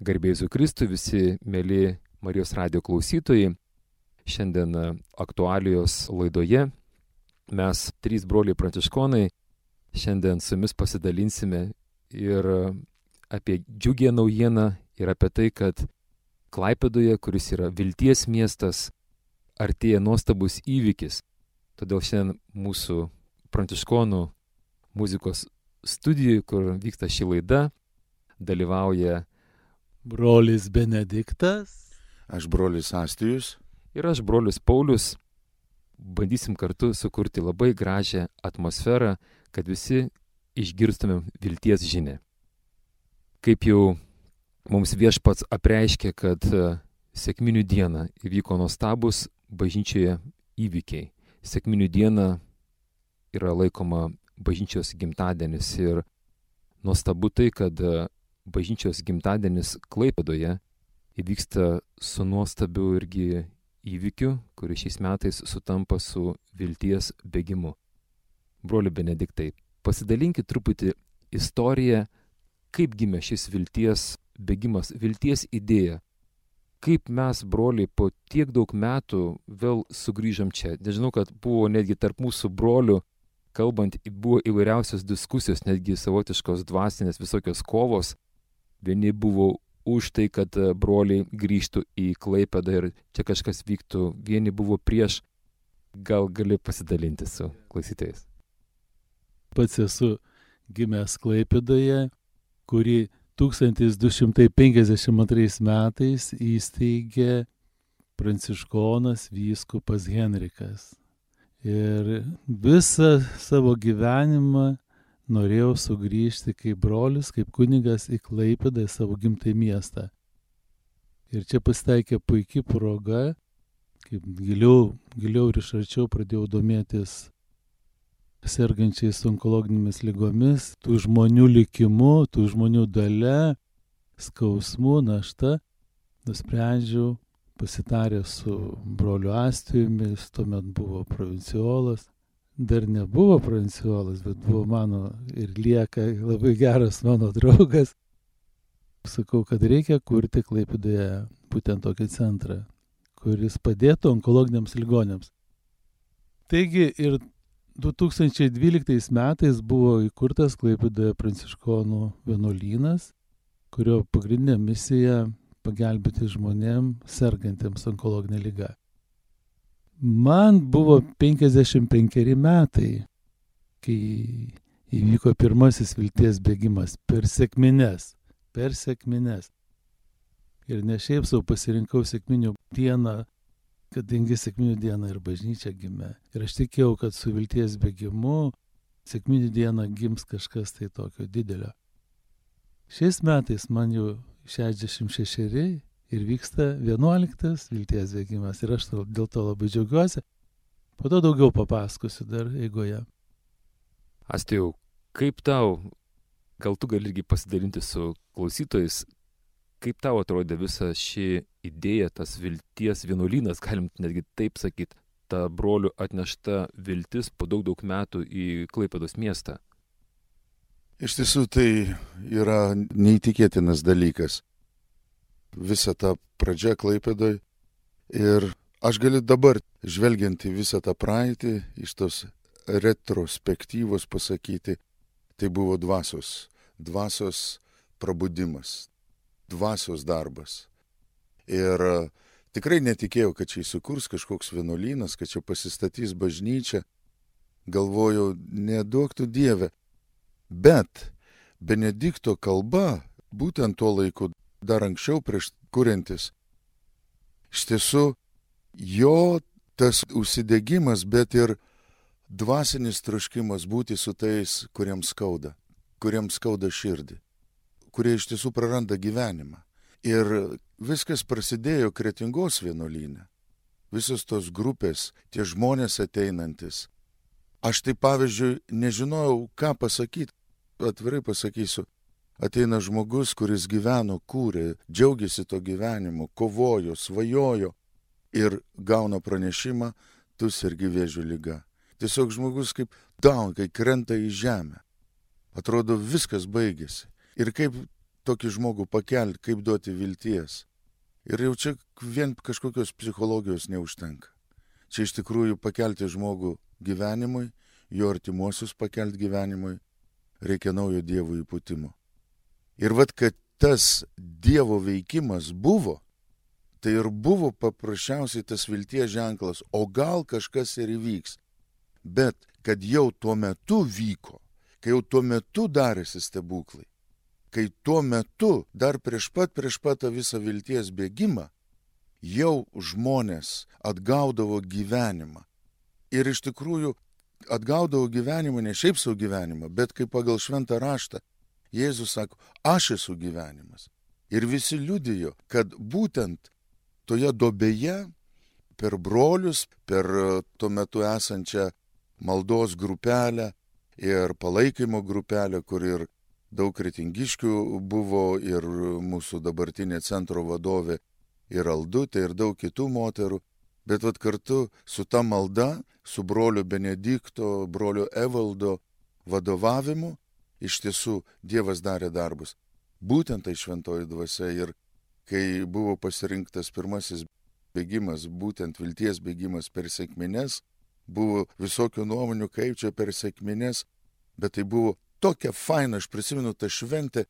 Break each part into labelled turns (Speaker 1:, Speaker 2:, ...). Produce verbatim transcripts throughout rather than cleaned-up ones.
Speaker 1: Garbė Jėzui Kristui, visi mėly Marijos radijo klausytojai. Šiandien aktualijos laidoje mes, trys broliai pranciškonai, šiandien su jumis pasidalinsime ir apie džiugią naujieną ir apie tai, kad Klaipėdoje, kuris yra vilties miestas, artėja nuostabus įvykis. Todėl šiandien mūsų pranciškonų muzikos studijoje, kur vyksta ši laida, dalyvauja
Speaker 2: brolis Benediktas,
Speaker 3: aš brolis Astijus
Speaker 1: ir aš brolis Paulius. Bandysim kartu sukurti labai gražią atmosferą, kad visi išgirstumėm vilties žinią. Kaip jau mums Viešpats apreiškė, kad sekminių dieną įvyko nuostabus bažnyčioje įvykiai. Sekminių diena yra laikoma bažnyčios gimtadienis ir nuostabu tai, kad bažnyčios gimtadienis Klaipėdoje įvyksta su nuostabiu irgi įvykiu, kuris šiais metais sutampa su vilties bėgimu. Broli Benediktai, pasidalinkit truputį istoriją, kaip gimė šis vilties bėgimas, vilties idėja. Kaip mes, broliai, po tiek daug metų vėl sugrįžom čia. Nežinau, kad buvo netgi tarp mūsų brolių, kalbant, buvo įvairiausios diskusijos, netgi savotiškos dvasinės visokios kovos. Vieni buvo už tai, kad broliai grįžtų į Klaipėdą ir čia kažkas vyktų. Vieni buvo prieš. Gal gali pasidalinti su klausytojais?
Speaker 2: Pats esu gimęs Klaipėdoje, kuri tūkstantis du šimtai penkiasdešimt antrais metais įsteigė pranciškonas vyskupas Henrikas. Ir visą savo gyvenimą norėjau sugrįžti kaip brolis, kaip kunigas į Klaipėdą, į savo gimtąjį miestą. Ir čia pasitaikė puikia proga, kaip giliau, giliau ir iš arčiau pradėjau domėtis sergančiais onkologinėmis ligomis, tų žmonių likimu, tų žmonių dalia, skausmu, našta. Nusprendžiau, pasitarę su broliu Astijumi, jis tuomet buvo provinciolas. Dar nebuvo provinciolas, bet buvo mano ir lieka labai geras mano draugas. Sakau, kad reikia kurti Klaipėdoje būtent tokį centrą, kuris padėtų onkologiniams ligoniams. Taigi ir du tūkstančiai dvyliktais metais buvo įkurtas Klaipėdoje pranciškonų vienuolynas, kurio pagrindinė misija pagelbėti žmonėm sergantiems onkologinę ligą. Man buvo penkiasdešimt penkeri metai, kai įvyko pirmasis vilties bėgimas per sekmines, per sekmines. Ir ne šiaip savo pasirinkau sekminių dieną, kadangi sekminių dieną ir bažnyčia gimė. Ir aš tikėjau, kad su vilties bėgimu sekminių dieną gims kažkas tai tokio didelio. Šiais metais man jau šešiasdešimt šešeri. Ir vyksta vienuoliktas vilties bėgimas. Ir aš dėl to labai džiaugiuosi. Po to daugiau papasakosiu dar eigoje.
Speaker 1: Astijau, kaip tau, gal tu gali irgi pasidalinti su klausytojais, kaip tau atrodė visa ši idėja, tas vilties vienuolynas, galim netgi taip sakyti, ta brolių atnešta viltis po daug daug metų į Klaipėdos miestą?
Speaker 3: Iš tiesų tai yra neįtikėtinas dalykas. Visa ta pradžia Klaipėdoj. Ir aš galiu dabar, žvelgiant į visą tą praeitį, iš tos retrospektyvos pasakyti, tai buvo dvasios, dvasios prabudimas, dvasios darbas. Ir tikrai netikėjau, kad čia įsikurs kažkoks vienuolynas, kad čia pasistatys bažnyčia. Galvojau, neduok tu Dieve. Bet Benedikto kalba, būtent tuo laiku, dar anksčiau prieš kuriantis, iš tiesų jo tas užsidegimas, bet ir dvasinis troškimas būti su tais, kuriems skauda, kuriems skauda širdį, kurie iš tiesų praranda gyvenimą. Ir viskas prasidėjo Kretingos vienuolyne. Visos tos grupės, tie žmonės ateinantis. Aš tai pavyzdžiui nežinojau, ką pasakyti, atvirai pasakysiu. Ateina žmogus, kuris gyveno, kūrė, džiaugiasi to gyvenimu, kovojo, svajojo ir gauna pranešimą, tu sergi vėžio liga. Tiesiog žmogus kaip down, kai krenta į žemę. Atrodo, viskas baigėsi. Ir kaip tokį žmogų pakelti, kaip duoti vilties. Ir jau čia vien kažkokios psichologijos neužtenka. Čia iš tikrųjų pakelti žmogų gyvenimui, jo artimuosius pakelti gyvenimui, reikia naujo Dievo įpūtimo. Ir vat, kad tas Dievo veikimas buvo, tai ir buvo paprasčiausiai tas vilties ženklas, o gal kažkas ir įvyks. Bet kad jau tuo metu vyko, kai jau tuo metu darėsi stebuklai, kai tuo metu, dar prieš pat, prieš pat tą visą vilties bėgimą, jau žmonės atgaudavo gyvenimą. Ir iš tikrųjų atgaudavo gyvenimą, ne šiaip savo gyvenimą, bet kaip pagal šventą raštą. Jėzus sako, aš esu gyvenimas. Ir visi liudijo, kad būtent toje dobėje, per brolius, per tuo metu esančią maldos grupelę ir palaikymo grupelę, kur ir daug kretingiškių buvo, ir mūsų dabartinė centro vadovė, ir Aldutė, ir daug kitų moterų. Bet vat kartu su ta malda, su brolio Benedikto, brolio Evaldo vadovavimu, iš tiesų Dievas darė darbus. Būtent tai šventoji dvasia. Ir kai buvo pasirinktas pirmasis bėgimas, būtent vilties bėgimas per sekmines, buvo visokių nuomonių, kaip čia per sekmines, bet tai buvo tokia faina, aš prisimenu tą šventę,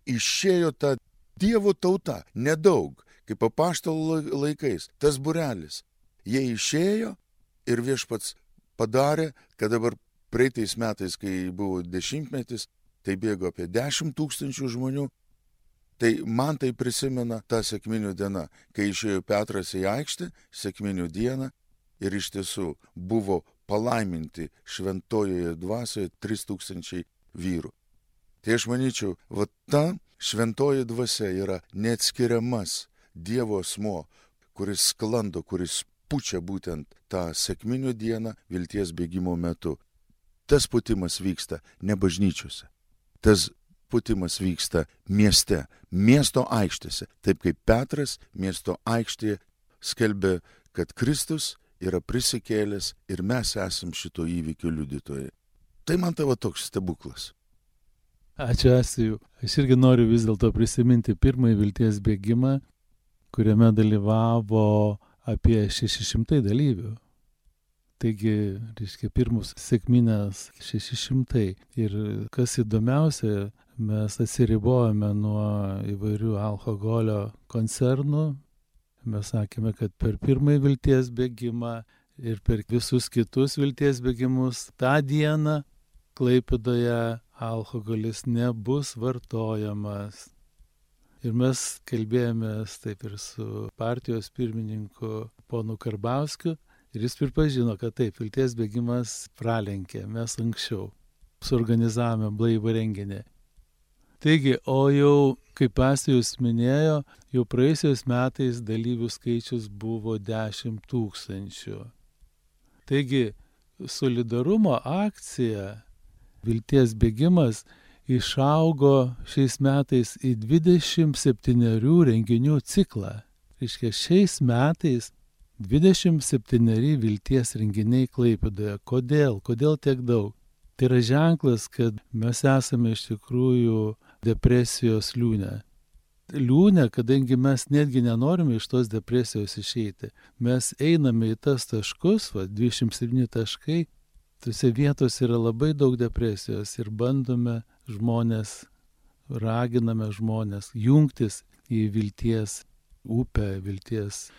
Speaker 3: išėjo ta Dievo tauta, nedaug, kaip apaštalų laikais, tas būrelis. Jie išėjo ir Viešpats padarė, kad dabar praeitais metais, kai buvo dešimtmetis, tai bėgo apie dešimt tūkstančių žmonių. Tai man tai prisimena tą sekminių dieną, kai išėjo Petras į aikštę, sekminių dieną, ir iš tiesų buvo palaiminti šventojoje dvasioje trys tūkstančiai vyrų. Tai aš manyčiau, va ta šventoji dvasia yra neatskiriamas Dievo asmuo, kuris sklando, kuris pučia būtent tą sekminių dieną vilties bėgimo metu. Tas putimas vyksta ne bažnyčiose. Tas putimas vyksta mieste, miesto aikštėse. Taip kaip Petras miesto aikštėje skelbė, kad Kristus yra prisikėlęs ir mes esam šito įvykio liudytojai. Tai man tavo toks stebuklas.
Speaker 2: Ačiū, Asiju. Aš irgi noriu vis dėlto prisiminti pirmąjį vilties bėgimą, kuriame dalyvavo apie šeši šimtai dalyvių. Taigi, reiškia, pirmus sekminės šeši šimtai. Ir kas įdomiausia, mes atsiribojame nuo įvairių alkoholio koncernų. Mes sakėme, kad per pirmąjį vilties bėgimą ir per visus kitus vilties bėgimus tą dieną Klaipėdoje alkoholis nebus vartojamas. Ir mes kalbėjomės taip ir su partijos pirmininku ponu Karbauskiu. Ir jis pripažino, kad taip, vilties bėgimas pralenkė, mes anksčiau suorganizavome blaivą renginį. Taigi, o jau, kaip Asijus minėjo, jau praėjusiais metais dalyvių skaičius buvo dešimt tūkstančių. Taigi, solidarumo akcija, vilties bėgimas, išaugo šiais metais į dvidešimt septynerių renginių ciklą. Reiškia, šiais metais dvidešimt septyneri vilties renginiai Klaipėdoje. Kodėl? Kodėl tiek daug? Tai yra ženklas, kad mes esame iš tikrųjų depresijos liūne. Liūne, kadangi mes netgi nenorime iš tos depresijos išeiti. Mes einame į tas taškus, va, dvidešimt septyni taškai, tose vietose yra labai daug depresijos ir bandome žmonės, raginame žmonės jungtis į vilties upę, vilties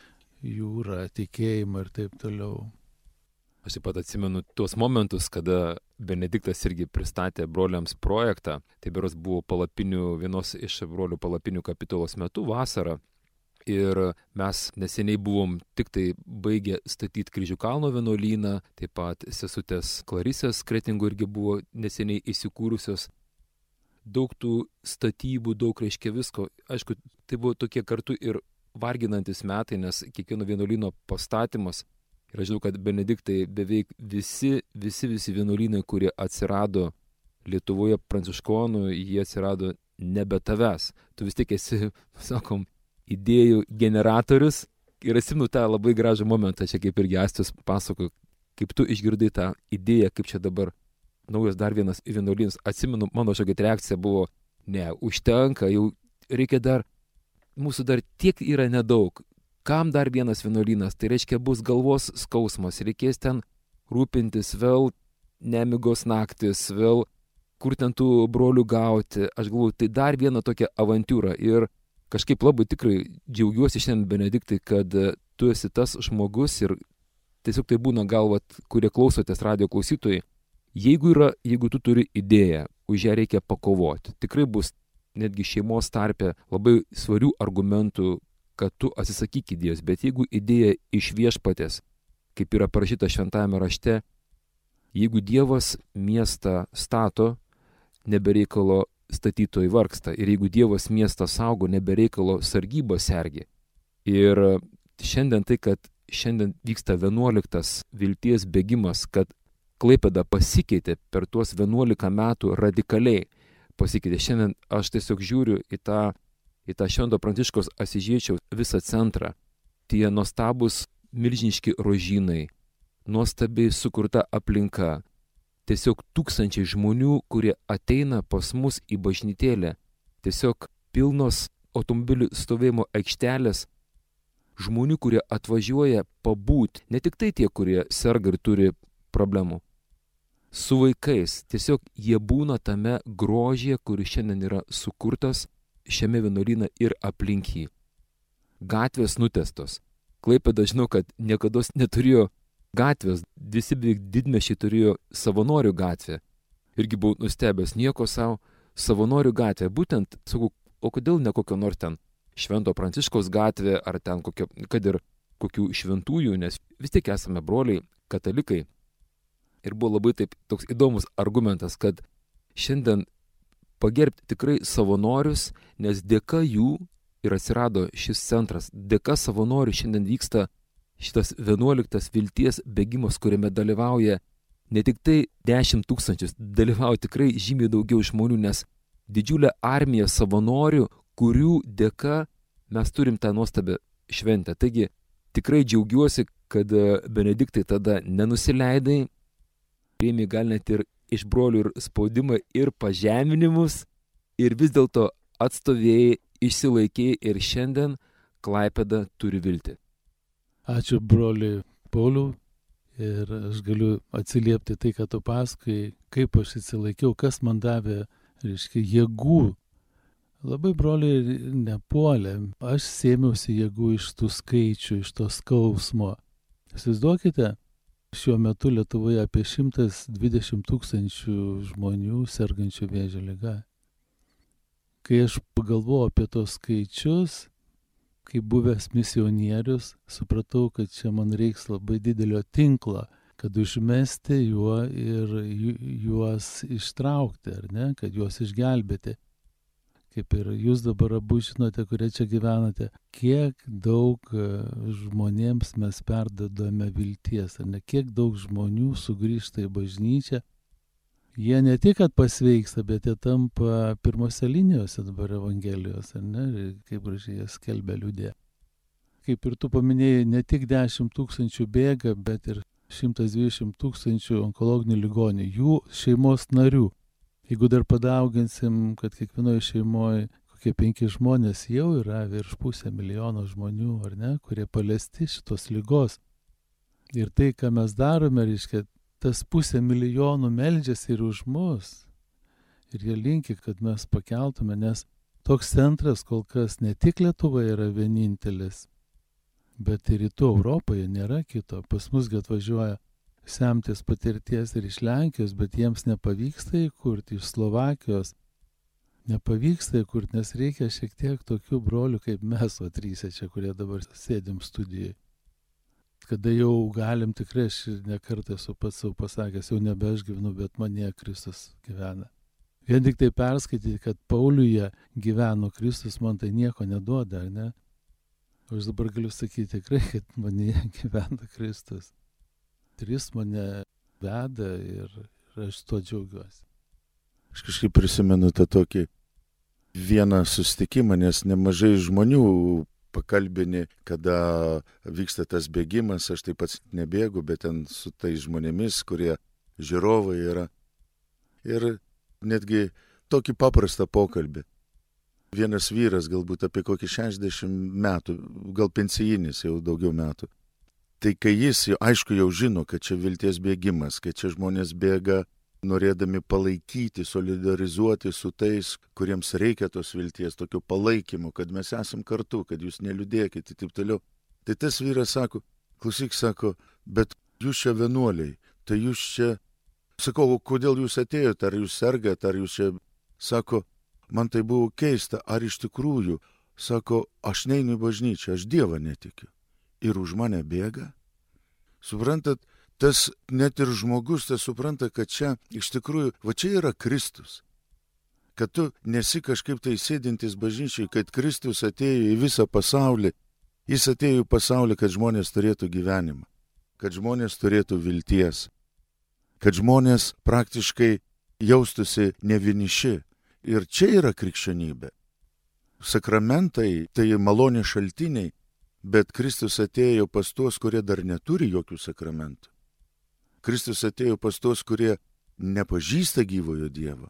Speaker 2: jūrą, tikėjimą ir taip toliau.
Speaker 1: Aš taip pat atsimenu tuos momentus, kada Benediktas irgi pristatė broliams projektą. Tai beros buvo palapinių, vienos iš brolių palapinių kapitulos metu vasarą. Ir mes neseniai buvom tik tai baigę statyti Kryžių kalno vienuolyną, taip pat sesutės Klarisės Kretingų irgi buvo neseniai įsikūrusios. Daug tų statybų, daug reiškia visko. Aišku, tai buvo tokie kartu ir varginantis metai, nes kiekvieno vienuolyno pastatymas. Ir aš žinau, kad Benediktai beveik visi, visi, visi vienuolynai, kurie atsirado Lietuvoje pranciškonų, jie atsirado nebe tavęs. Tu vis tiek esi, sakom, idėjų generatorius. Ir atsimenu tą labai gražų momentą, čia kaip irgi Astis pasakojo, kaip tu išgirdai tą idėją, kaip čia dabar naujas dar vienas vienuolynas. Atsimenu, mano šiokia reakcija buvo, ne, užtenka, jau reikia dar, mūsų dar tiek yra nedaug. Kam dar vienas vienuolynas? Tai reiškia, bus galvos skausmas, reikės ten rūpintis, vėl nemigos naktis, vėl kur ten tų brolių gauti. Aš galvoju, tai dar viena tokia avantūra. Ir kažkaip labai tikrai džiaugiuosi šiandien, Benediktai, kad tu esi tas žmogus ir tiesiog tai būna galvat, kurie klausotės radio klausytojai. Jeigu yra, jeigu tu turi idėją, už ją reikia pakovoti. Tikrai bus netgi šeimos tarpe labai svarių argumentų, kad tu atsisakyk idėjos. Bet jeigu idėja iš viešpatės, kaip yra parašyta šventajame rašte, jeigu Dievas miestą stato, nebereikalo statytojai vargsta. Ir jeigu Dievas miestą saugo, nebereikalo sargybą sergi. Ir šiandien tai, kad šiandien vyksta vienuoliktas vilties bėgimas, kad Klaipėda pasikeitė per tuos vienuolika metų radikaliai pasikeitė. Šiandien aš tiesiog žiūriu į tą, į tą Švento Pranciškaus Asyžiečio visą centrą. Tie nuostabus milžiniški rožynai, nuostabiai sukurta aplinka. Tiesiog tūkstančiai žmonių, kurie ateina pas mus į bažnytėlę. Tiesiog pilnos automobilių stovėjimo aikštelės. Žmonių, kurie atvažiuoja pabūti. Ne tik tai tie, kurie serga ir turi problemų. Su vaikais. Tiesiog jie būna tame grožyje, kuris šiandien yra sukurtas šiame vienuolyne ir aplink jį. Gatvės nutestos. Klaipėda, žinau, kad niekada neturėjo gatvės. Visi beveik didmiesčiai turėjo savanorių gatvę. Irgi buvau nustebęs, nieko savo, savanorių gatvė. Būtent, sakau, o kodėl ne kokio nors ten Švento Pranciškaus gatvė, ar ten kokio, kad ir kokių šventųjų, nes vis tiek esame broliai, katalikai. Ir buvo labai taip toks įdomus argumentas, kad šiandien pagerbti tikrai savanorius, nes dėka jų ir atsirado šis centras. Dėka savanorių šiandien vyksta šitas vienuoliktas vilties bėgimas, kuriame dalyvauja ne tik tai dešimt tūkstančius, dalyvauja tikrai žymiai daugiau žmonių, nes didžiulė armija savanorių, kurių dėka mes turim tą nuostabią šventę. Taigi tikrai džiaugiuosi, kad Benediktai tada nenusileidai, priėmė gal net ir iš brolių ir spaudimą ir pažeminimus ir vis dėlto atstovėjai, išsilaikėjai ir šiandien Klaipėda turi viltį.
Speaker 2: Ačiū broliui Pauliui ir aš galiu atsiliepti tai, ką tu pasakai, kaip aš atsilaikiau, kas man davė, reiškia, jėgų. Labai broliai nepuolė, aš sėmiausi jėgų iš tų skaičių, iš to skausmo. Įsivaizduokite, šiuo metu Lietuvoje apie šimtas dvidešimt tūkstančių žmonių sergančių vėžio liga. Kai aš pagalvojau apie tos skaičius, kaip buvęs misionierius, supratau, kad čia man reiks labai didelio tinklo, kad užmesti juo ir juos ištraukti, ar ne, kad juos išgelbėti. Kaip ir jūs dabar abu žinote, kurie čia gyvenate, kiek daug žmonėms mes perdodame vilties, ar ne, kiek daug žmonių sugrįžta į bažnyčią. Jie ne tik, kad pasveiksta, bet jie tampa pirmose linijose dabar Evangelijos, ar ne, kaip gražiai jie skelbia liudė. Kaip ir tu paminėjai, ne tik dešimt tūkstančių bėga, bet ir šimtas dvidešimt tūkstančių onkologinių ligonių, jų šeimos narių. Jeigu dar padauginsim, kad kiekvienoje šeimoje kokie penki žmonės jau yra virš pusę milijono žmonių, ar ne, kurie paliesti šitos ligos. Ir tai, ką mes darome, reiškia, tas pusę milijonų meldžiasi ir už mus. Ir jie linki, kad mes pakeltume, nes toks centras kol kas ne tik Lietuvoje yra vienintelis, bet ir rytų Europoje nėra kito. Pas mus atvažiuoja semtis patirties ir iš Lenkijos, bet jiems nepavyksta įkurti, iš Slovakijos nepavyksta įkurti, nes reikia šiek tiek tokių brolių kaip mes, o trysia čia, kurie dabar sėdim studijai. Kada jau galim, tikrai aš nekartą esu pats savo pasakęs, jau nebe aš gyvenu, bet manyje Kristus gyvena. Vien tik tai perskaityti, kad Pauliuje gyveno Kristus, man tai nieko neduoda, ar ne? Aš dabar galiu sakyti tikrai, kad manyje gyvena Kristus. Ir jis mane veda ir, ir aš tuo džiaugiuosi.
Speaker 3: Aš kažkaip prisimenu tą tokį vieną susitikimą, nes nemažai žmonių pakalbini, kada vyksta tas bėgimas, aš taip pat nebėgu, bet ten su tais žmonėmis, kurie žiūrovai yra. Ir netgi tokį paprastą pokalbį. vienas vyras, galbūt apie kokį šešiasdešimt metų, gal pensijinis jau daugiau metų. Tai kai jis, jau, aišku, jau žino, kad čia vilties bėgimas, kad čia žmonės bėga norėdami palaikyti, solidarizuoti su tais, kuriems reikia tos vilties, tokio palaikymo, kad mes esam kartu, kad jūs neliūdėkite ir taip toliau. Tai tas vyras sako, klausyk, sako, bet jūs čia vienuoliai, tai jūs čia, sakau, kodėl jūs atėjote, ar jūs sergat, ar jūs čia, sako, man tai buvo keista, ar iš tikrųjų, sako, aš neinu į bažnyčią, aš Dievą netikiu. Ir už mane bėga. Suprantat, tas net ir žmogus, tas supranta, kad čia iš tikrųjų, va čia yra Kristus. Kad tu nesi kažkaip tai sėdintis bažnyčiai, kad Kristus atėjo į visą pasaulį. Jis atėjo į pasaulį, kad žmonės turėtų gyvenimą, kad žmonės turėtų vilties, kad žmonės praktiškai jaustųsi nevieniši. Ir čia yra krikščionybė. Sakramentai tai malonės šaltiniai, bet Kristus atėjo pas tuos, kurie dar neturi jokių sakramentų. Kristus atėjo pas tuos, kurie nepažįsta gyvojo Dievo.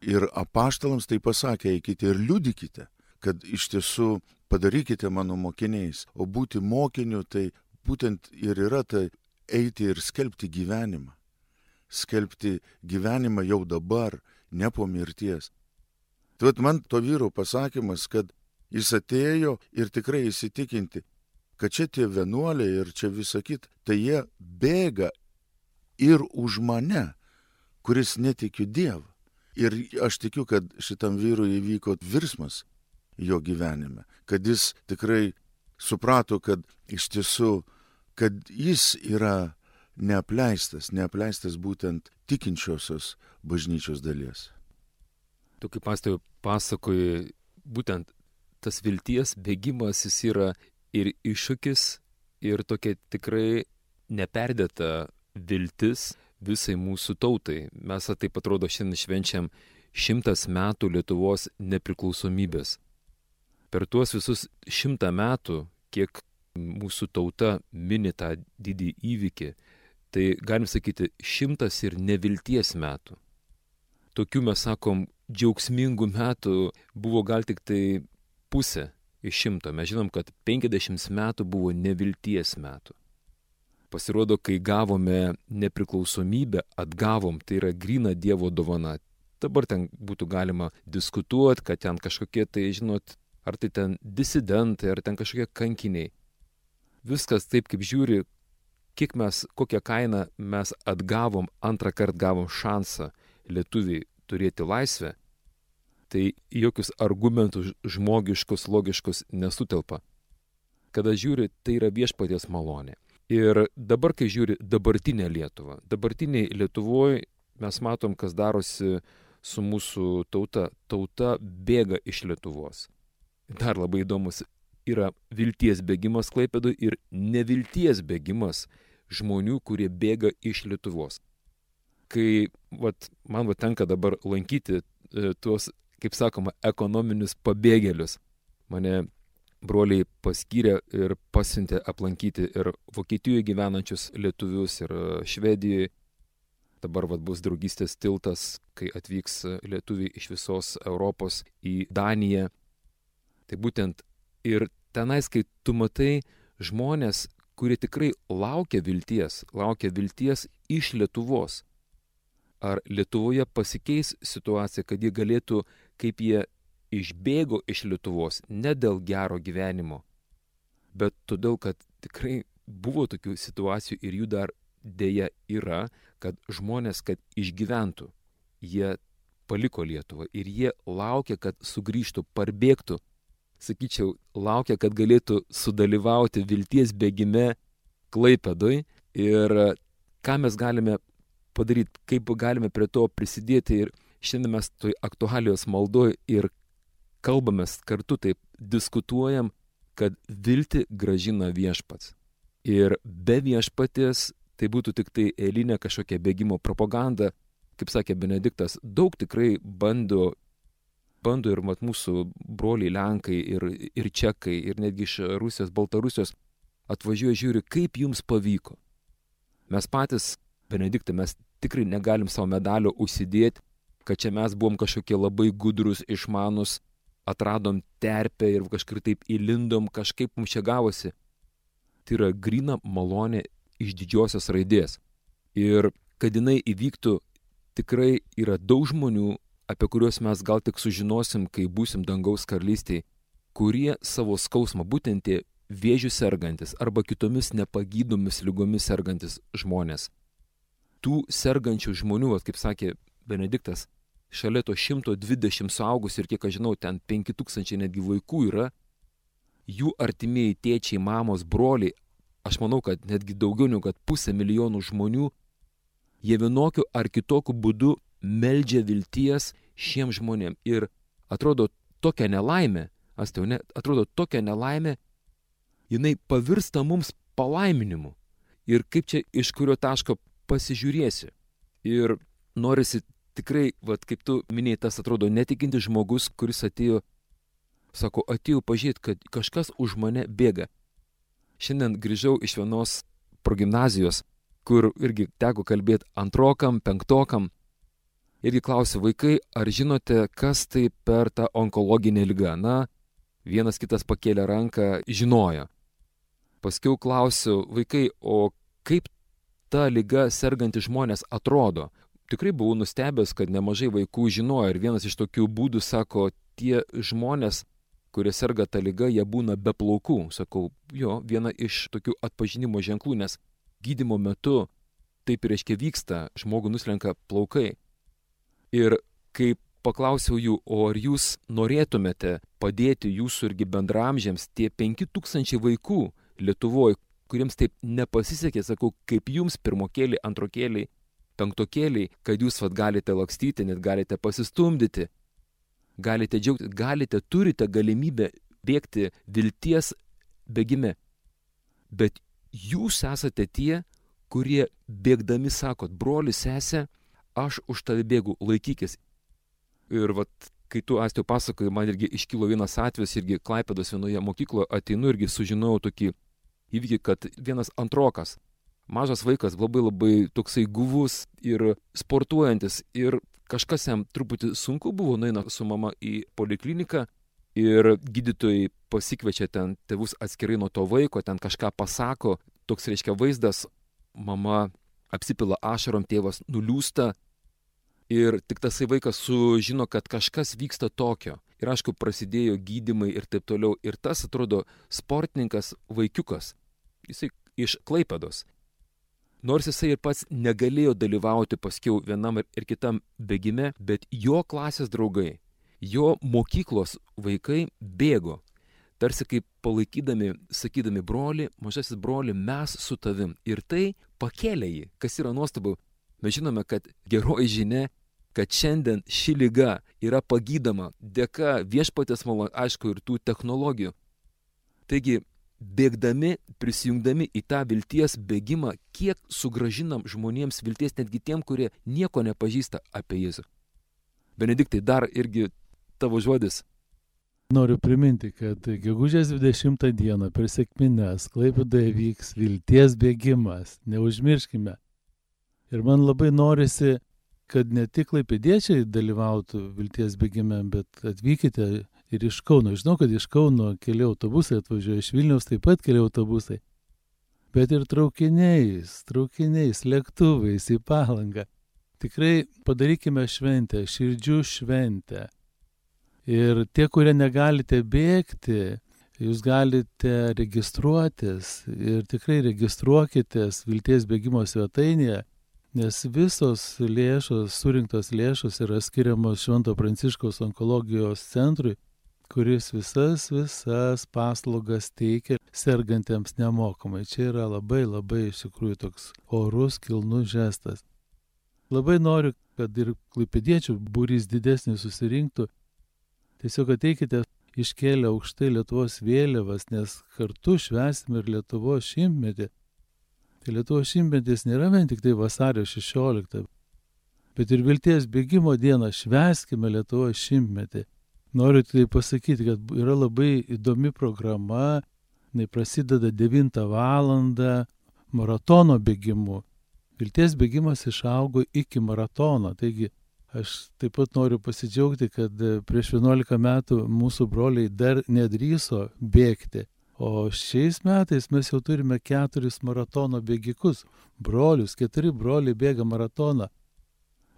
Speaker 3: Ir apaštalams tai pasakė, eikite ir liudykite, kad iš tiesų padarykite mano mokiniais. O būti mokiniu tai būtent ir yra tai eiti ir skelbti gyvenimą. Skelbti gyvenimą jau dabar, ne po mirties. Tai man to vyro pasakymas, kad jis atėjo ir tikrai įsitikinti, kad čia tie vienuoliai ir čia visa kita, tai jie bėga ir už mane, kuris netikiu Dievą. Ir aš tikiu, kad šitam vyrui įvyko virsmas jo gyvenime, kad jis tikrai suprato, kad iš tiesų, kad jis yra neapleistas, neapleistas būtent tikinčiosios bažnyčios dalies.
Speaker 1: Tu kaip pastoriau pasakoji, būtent tas vilties bėgimas jis yra ir iššūkis, ir tokia tikrai neperdėta viltis visai mūsų tautai. Mes taip atrodo šiandien švenčiam šimtas metų Lietuvos nepriklausomybės. Per tuos visus šimtą metų, kiek mūsų tauta mini tą didį įvykį, tai galim sakyti šimtas ir nevilties metų. Tokių mes sakom džiaugsmingų metų buvo gal tik tai pusė iš šimto. Mes žinom, kad penkiasdešimt metų buvo nevilties metų. Pasirodo, kai gavome nepriklausomybę, atgavom, tai yra gryna Dievo dovana. Dabar ten būtų galima diskutuoti, kad ten kažkokie tai, žinot, ar tai ten disidentai, ar ten kažkokie kankiniai. Viskas taip, kaip žiūri, kiek mes, kokią kainą mes atgavom, antrą kartą gavom šansą lietuviai turėti laisvę, tai jokius argumentus žmogiškus, logiškus nesutelpa. Kada žiūri, tai yra viešpaties malonė. Ir dabar, kai žiūri dabartinę Lietuvą, dabartiniai Lietuvoje mes matom, kas darosi su mūsų tauta. Tauta bėga iš Lietuvos. Dar labai įdomus yra vilties bėgimas Klaipėdoje ir nevilties bėgimas žmonių, kurie bėga iš Lietuvos. Kai vat, man vat, tenka dabar lankyti e, tuos, kaip sakoma, ekonominius pabėgėlius, mane broliai paskyrė ir pasiuntė aplankyti ir Vokietijoje gyvenančius lietuvius, ir Švedijoje. Dabar vat, bus draugystės tiltas, kai atvyks lietuviai iš visos Europos į Daniją. Tai būtent ir tenais, kai tu matai žmonės, kurie tikrai laukia vilties, laukia vilties iš Lietuvos. Ar Lietuvoje pasikeis situacija, kad jie galėtų, kaip jie išbėgo iš Lietuvos, ne dėl gero gyvenimo, bet todėl, kad tikrai buvo tokių situacijų ir jų dar dėja yra, kad žmonės, kad išgyventų, jie paliko Lietuvą ir jie laukia, kad sugrįžtų, parbėgtų. Sakyčiau, laukia, kad galėtų sudalyvauti vilties bėgime Klaipėdoje ir ką mes galime padaryti, kaip galime prie to prisidėti. Ir šiandien mes toj aktualijos maldoj ir kalbamės kartu, taip diskutuojam, kad viltį gražina viešpats. Ir be viešpaties tai būtų tik tai eilinė kažkokia bėgimo propaganda. Kaip sakė Benediktas, daug tikrai bando, bando ir mat mūsų broliai Lenkai ir, ir Čekai ir netgi iš Rusijos, Baltarusijos atvažiuoja žiūri, kaip jums pavyko. Mes patys, Benediktai, mes tikrai negalim savo medalio užsidėti, kad čia mes buvom kažkokie labai gudrus, išmanus, atradom terpę ir kažkaip taip įlindom, kažkaip mums čia gavosi. Tai yra gryna malonė iš didžiosios raidės. Ir kad jinai įvyktų, tikrai yra daug žmonių, apie kuriuos mes gal tik sužinosim, kai būsim dangaus karalystėje, kurie savo skausmą, būtent tie vėžių sergantis arba kitomis nepagydomis lygomis sergantis žmonės. Tų sergančių žmonių, kaip sakė Benediktas, šalia to šimto dvidešimt suaugusių ir kiek aš žinau, ten penki tūkstančiai netgi vaikų yra, jų artimieji tėčiai, mamos, broliai, aš manau, kad netgi daugiau negu kad pusę milijonų žmonių, jie vienokiu ar kitokiu būdu meldžia vilties šiem žmonėm. Ir atrodo tokia nelaimė, astiau, ne, atrodo tokia nelaimė, jinai pavirsta mums palaiminimu. Ir kaip čia iš kurio taško pasižiūrėsi. Ir norisi tikrai, vat, kaip tu minėjai, tas atrodo netikintis žmogus, kuris atėjo, sako, atėjau pažiūrėti, kad kažkas už mane bėga. Šiandien grįžau iš vienos progimnazijos, kur irgi teko kalbėti antrokam, penktokam. Irgi klausiu, vaikai, ar žinote, kas tai per tą onkologinę ligą? Na, vienas kitas pakėlė ranką, žinojo. Paskiau klausiu, vaikai, o kaip ta liga serganti žmonės atrodo? Tikrai buvau nustebęs, kad nemažai vaikų žinojo ir vienas iš tokių būdų sako, tie žmonės, kurie serga tą ligą, jie būna be plaukų. Sakau, jo, viena iš tokių atpažinimo ženklų, nes gydymo metu taip reiškia vyksta, žmogų nuslenka plaukai. Ir kai paklausiau jų, o ar jūs norėtumėte padėti jūsų irgi bendramžiams, tie penki tūkstančiai vaikų Lietuvoje, kuriems taip nepasisekė, sakau, kaip jums pirmokėliai, antrokėliai, penktokėliai, kad jūs vat galite lakstyti, net galite pasistumdyti, galite džiaugti, galite, turite galimybę bėgti vilties bėgime. Bet jūs esate tie, kurie bėgdami sakot, broli, sesė, aš už tave bėgu, laikykis. Ir vat, kai tu, Astiau, pasakoji, man irgi iškilo vienas atvejis, irgi Klaipėdos vienoje mokykloje ateinu irgi sužinojau tokį įvykį, kad vienas antrokas, mažas vaikas, labai labai toksai guvus ir sportuojantis ir kažkas jam truputį sunku buvo, nueina su mama į polikliniką ir gydytojai pasikviečia ten tėvus atskirai nuo to vaiko, ten kažką pasako, toks reiškia vaizdas, mama apsipila ašarom, tėvas nuliūsta ir tik tasai vaikas sužino, kad kažkas vyksta tokio. Ir aišku, prasidėjo gydymai ir taip toliau. Ir tas atrodo sportininkas vaikiukas, jisai iš Klaipėdos. Nors jisai ir pats negalėjo dalyvauti paskiau vienam ir kitam bėgime, bet jo klasės draugai, jo mokyklos vaikai bėgo. Tarsi kaip palaikydami, sakydami, broli, mažasis broli, mes su tavim. Ir tai pakėlė jį, kas yra nuostabu. Mes žinome, kad geroji žinia, kad šiandien ši liga yra pagydoma dėka viešpatės malonės, aišku, ir tų technologijų. Taigi, bėgdami, prisijungdami į tą vilties bėgimą, kiek sugražinam žmonėms vilties, netgi tiem, kurie nieko nepažįsta apie Jėzų. Benediktai, dar irgi tavo žodis.
Speaker 2: Noriu priminti, kad gegužės dvidešimtą dieną per sekmines Klaipėdoje vyks vilties bėgimas, neužmirškime. Ir man labai norisi, kad ne tik klaipėdiečiai dalyvautų vilties bėgime, bet atvykite ir iš Kauno. Žinau, kad iš Kauno keli autobusai atvažiuoja, iš Vilniaus taip pat keli autobusai. Bet ir traukiniais, traukiniais, lėktuvais į Palangą. Tikrai padarykime šventę, širdžių šventę. Ir tie, kurie negalite bėgti, jūs galite registruotis ir tikrai registruokitės vilties bėgimo svetainėje, nes visos lėšos, surinktos lėšos yra skiriamos Švento Pranciškaus onkologijos centrui, kuris visas, visas paslaugas teikia sergantiems nemokamai. Čia yra labai, labai iš tikrųjų toks orus, kilnus žestas. Labai noriu, kad ir klaipėdiečių būrys didesnis susirinktų. Tiesiog ateikite iškėlę aukštai Lietuvos vėliavas, nes kartu švęsime ir Lietuvos šimtmetį. Tai Lietuvos šimtmetis nėra vien tik tai vasario šešioliktą, bet ir vilties bėgimo dieną švęskime Lietuvos šimtmetį. Noriu tai pasakyti, kad yra labai įdomi programa, jinai prasideda devintą valandą maratono bėgimu. Vilties bėgimas išaugo iki maratono, taigi Aš taip pat noriu pasidžiaugti, kad prieš vienuolika metų mūsų broliai dar nedrįso bėgti. O šiais metais mes jau turime keturis maratono bėgikus. Brolius, keturi broliai bėga maratoną.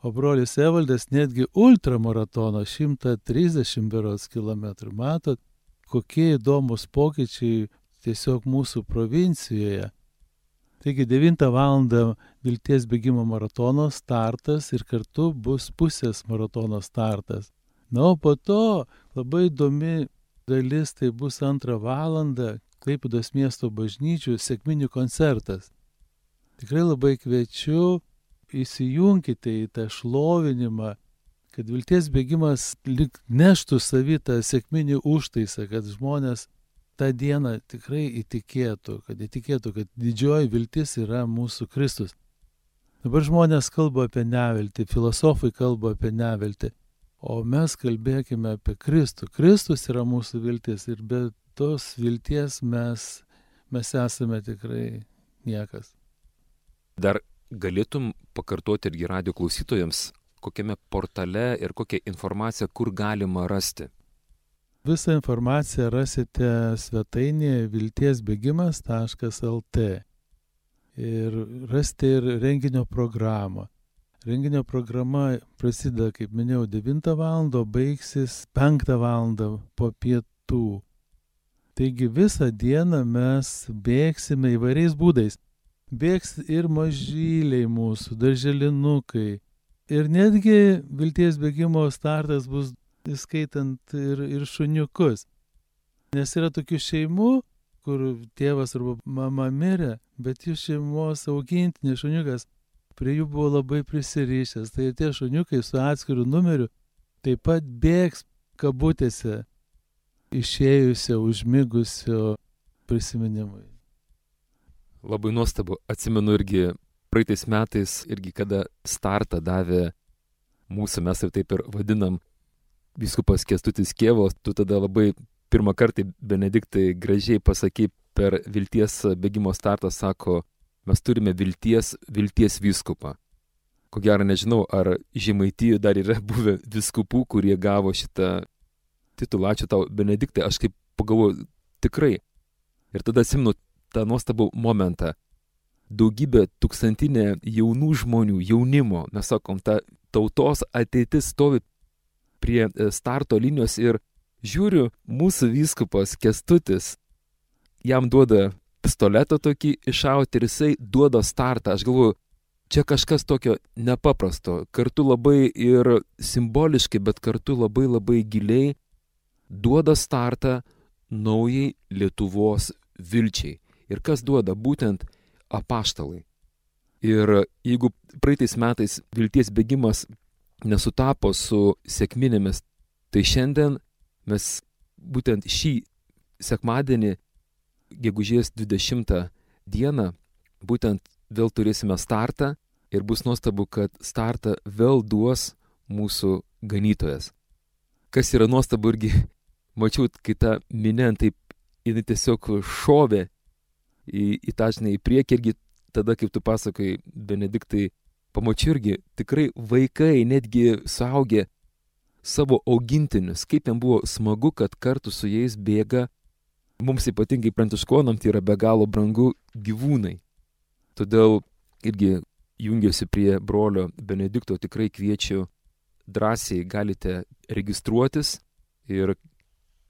Speaker 2: O brolis Evaldas netgi ultramaratoną, šimtą trisdešimt berods kilometrų. Matot, kokie įdomus pokyčiai tiesiog mūsų provincijoje. Taigi devintą valandą Vilties bėgimo maratono startas ir kartu bus pusės maratono startas. Na, o po to labai įdomi dalis, tai bus antrą valandą Klaipėdos miesto bažnyčių sekminių koncertas. Tikrai labai kviečiu, įsijunkite į tą šlovinimą, kad Vilties bėgimas lyg neštų savį tą sekminį užtaisą, kad žmonės tą dieną tikrai įtikėtų, kad įtikėtų, kad didžioji viltis yra mūsų Kristus. Dabar žmonės kalba apie neviltį, filosofai kalba apie neviltį, o mes kalbėkime apie Kristų. Kristus yra mūsų viltis ir be tos vilties mes, mes esame tikrai niekas.
Speaker 1: Dar galėtum pakartoti irgi radio klausytojams, kokiame portale ir kokią informaciją, kur galima rasti?
Speaker 2: Visą informaciją rasite svetainėje vilties bėgimas taškas el tė ir rasite ir renginio programą. Renginio programa prasideda, kaip minėjau, devintą valandą, baigsis penktą valandą po pietų. Taigi visą dieną mes bėgsime įvairiais būdais. Bėgs ir mažyliai mūsų, darželinukai. Ir netgi Vilties bėgimo startas bus įskaitant ir, ir šuniukus. Nes yra tokių šeimų, kur tėvas arba mama mirė, bet jų šeimos augintinis šuniukas prie jų buvo labai prisirišęs. Tai tie šuniukai su atskiru numeriu taip pat bėgs kabutėse išėjusio, užmigusio prisiminimui.
Speaker 1: Labai nuostabu. Atsimenu irgi praeitais metais, irgi kada startą davė mūsų, mes ir taip ir vadinam, vyskupas Kęstutis Kėvalas, tu tada labai pirmą kartą Benediktai gražiai pasakai per Vilties bėgimo startą, sako, mes turime vilties, vilties vyskupą. Ko gero nežinau, ar Žemaitijoje dar yra buvę vyskupų, kurie gavo šitą titulą. Ačiū tau, Benediktai, aš kaip pagalvoju, tikrai. Ir tada atsimenu tą nuostabų momentą. Daugybė tūkstantinė jaunų žmonių, jaunimo, mes sakom, ta tautos ateitis stovi prie starto linijos ir žiūriu, mūsų vyskupas Kęstutis, jam duoda pistoletą tokį iššauti ir jisai duoda startą. Aš galvoju, čia kažkas tokio nepaprasto, kartu labai ir simboliškai, bet kartu labai labai giliai duoda startą naujai Lietuvos vilčiai. Ir kas duoda? Būtent apaštalai. Ir jeigu praeitais metais Vilties bėgimas nesutapo su sekminėmis, tai šiandien mes būtent šį sekmadienį, gegužės dvidešimtą dieną, būtent vėl turėsime startą ir bus nuostabu, kad startą vėl duos mūsų ganytojas. Kas yra nuostabu irgi, mačiau, kai ta minė taip, jinai tiesiog šovė į, į tą žinai į priekį irgi tada, kaip tu pasakai, Benediktai, pamačiau irgi tikrai vaikai, netgi suaugę savo augintinius, kaip jam buvo smagu, kad kartu su jais bėga, mums ypatingai pranciškonam tai yra be galo brangu gyvūnai. Todėl irgi jungiuosi prie brolio Benedikto, tikrai kviečiu, drąsiai galite registruotis ir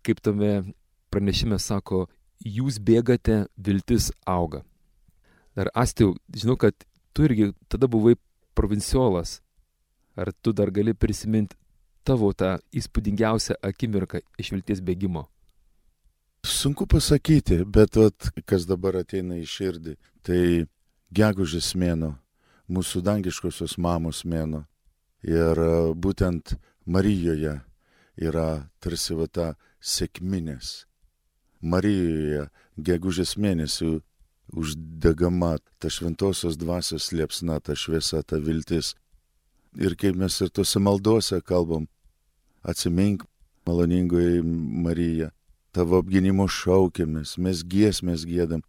Speaker 1: kaip tame pranešime sako, jūs bėgate, viltis auga. Dar Astiu, žinau, kad tu irgi tada buvai provinciolas. Ar tu dar gali prisiminti tavo tą įspūdingiausią akimirką iš Vilties bėgimo?
Speaker 3: Sunku pasakyti, bet vat, kas dabar ateina į širdį, tai gegužės mėnuo, mūsų dangiškosios mamos mėnuo. Ir būtent Marijoje yra tarsi va ta sekminės. Marijoje gegužės mėnesių uždegama ta šventosios dvasios liepsna, ta šviesa, ta viltis. Ir kaip mes ir tose maldose kalbam, atsimink, maloningoji Marija, tavo apginimo šaukiamės, mes giesmės giedam.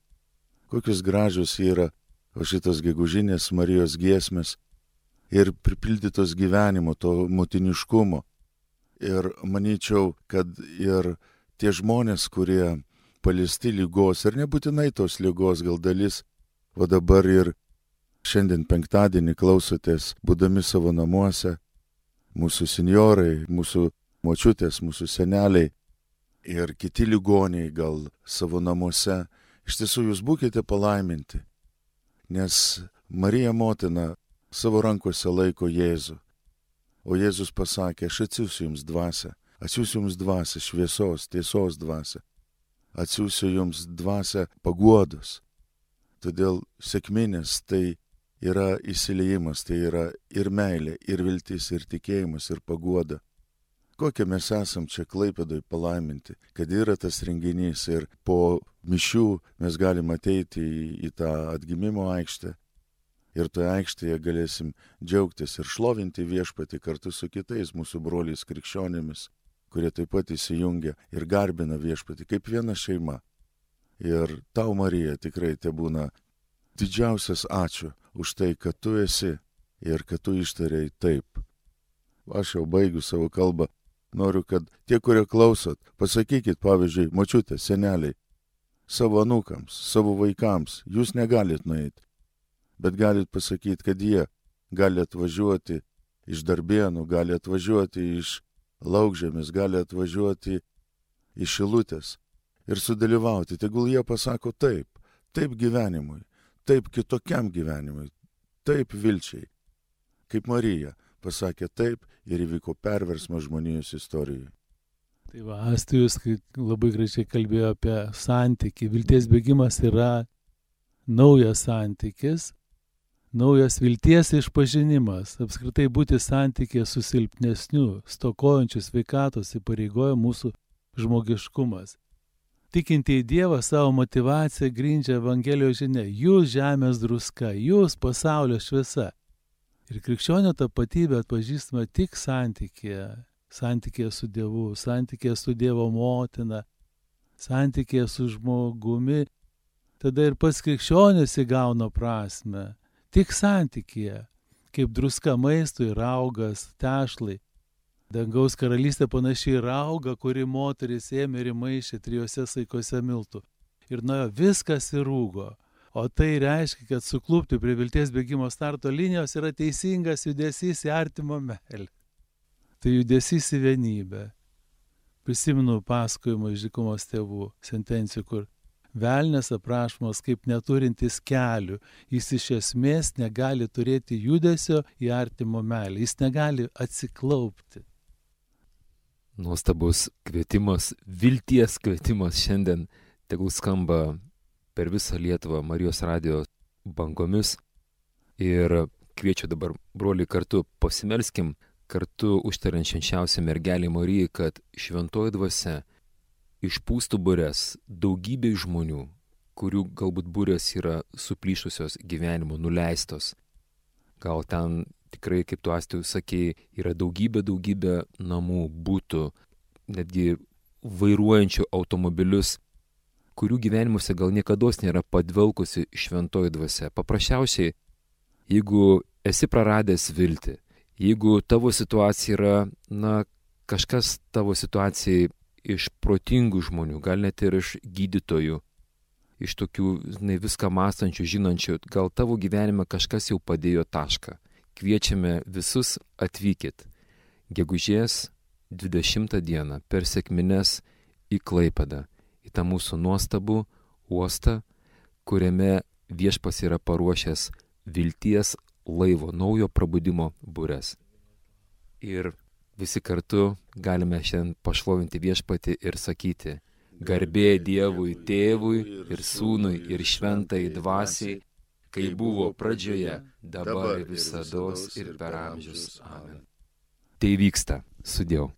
Speaker 3: Kokios gražios yra o šitos gegužinės Marijos giesmės. ir pripildytos gyvenimo, to motiniškumo. Ir manyčiau, kad ir tie žmonės, kurie paliesti lygos, ir nebūtinai tos lygos, gal dalis, o dabar ir šiandien penktadienį klausotės, būdami savo namuose, mūsų senjorai, mūsų močiutės, mūsų seneliai ir kiti ligoniai gal savo namuose, iš tiesų jūs būkite palaiminti, nes Marija motina savo rankose laiko Jėzų. O Jėzus pasakė, aš atsiųsiu jums dvasią, atsiųsiu jums dvasią šviesos, tiesos dvasią, atsiųsiu jums dvasią paguodos. Todėl sekminės tai yra įsiliejimas, tai yra ir meilė, ir viltis, ir tikėjimas, ir paguoda. Kokie mes esam čia Klaipėdoj palaiminti, kad yra tas renginys ir po mišių mes galim ateiti į, į tą atgimimo aikštę. Ir toje aikštėje galėsim džiaugtis ir šlovinti viešpatį kartu su kitais mūsų broliais krikščionimis, kurie taip pat įsijungia ir garbina viešpatį kaip viena šeima. Ir tau, Marija, tikrai te būna didžiausias ačiū už tai, kad tu esi ir kad tu ištarei taip. Aš jau baigiu savo kalbą. Noriu, kad tie, kurie klausot, pasakykit, pavyzdžiui, močiutė, seneliai, savo anūkams, savo vaikams, jūs negalit nueiti. Bet galit pasakyti, kad jie gali atvažiuoti iš Darbėnų, gali atvažiuoti iš Laukžemės, gali atvažiuoti iš Šilutės ir sudalyvauti. Tegul jie pasako taip, taip gyvenimui, taip kitokiam gyvenimui, taip vilčiai. Kaip Marija pasakė taip ir įvyko perversmas žmonijos istorijoje.
Speaker 2: Tai va, Astijus labai gražiai kalbėjo apie santykį. Vilties bėgimas yra naujas santykis, naujas vilties išpažinimas, apskritai būti santykė su silpnesniu, stokojančiu sveikatos įpareigoja mūsų žmogiškumas. Tikintieji Dievą savo motivaciją grindžia Evangelijos žinia. Jūs žemės druska, jūs pasaulio šviesa. Ir krikščionio tapatybę atpažįstama tik santykėje. Santykėje su Dievu, santykėje su Dievo motina, santykėje su žmogumi. Tada ir pats krikščionis įgauna prasme. Tik santykėje, kaip druska maistui, raugas, tešlai. Dangaus karalystė panašiai rauga, kuri moteris ėmė ir įmaišė trijose saikose miltų. Ir nuo viskas įrūgo. O tai reiškia, kad suklupti prie vilties bėgimo starto linijos yra teisingas judesys į artimo meilę. Tai judesys į vienybę. Prisimenu pasakojimą iš dykumos tėvų sentencijų, kur velnias aprašomas kaip neturintis kelių. Jis iš esmės negali turėti judesio į artimo meilę. Jis negali atsiklaupti.
Speaker 1: Nuostabus kvietimas, vilties kvietimas šiandien tegul skamba per visą Lietuvą Marijos radijo bangomis. Ir kviečiu dabar, broliai, kartu pasimelskim, kartu užtariant švenčiausią mergelę Mariją, kad šventoji dvasia išpūstų burės daugybė žmonių, kurių galbūt burės yra suplyšusios gyvenimo, nuleistos. Gal ten tikrai, kaip tu Astijus sakėjai, yra daugybė, daugybė namų, būtų, netgi vairuojančių automobilius, kurių gyvenimuose gal niekados nėra padvelkusi šventoji dvasia. Paprasčiausiai, jeigu esi praradęs viltį, jeigu tavo situacija yra, na, kažkas tavo situacijai iš protingų žmonių, gal net ir iš gydytojų, iš tokių, žinai, viską mąstančių, žinančių, gal tavo gyvenime kažkas jau padėjo tašką. Kviečiame visus atvykit gegužės dvidešimtą dieną per sekmines į Klaipėdą, į tą mūsų nuostabų uostą, kuriame viešpats yra paruošęs vilties laivo, naujo prabudimo bures. Ir visi kartu galime šiandien pašlovinti viešpatį ir sakyti: garbė Dievui Tėvui ir Sūnui ir Šventai Dvasiai, kai buvo pradžioje, dabar visados ir per amžius. Amen. Tai vyksta. Sudiev.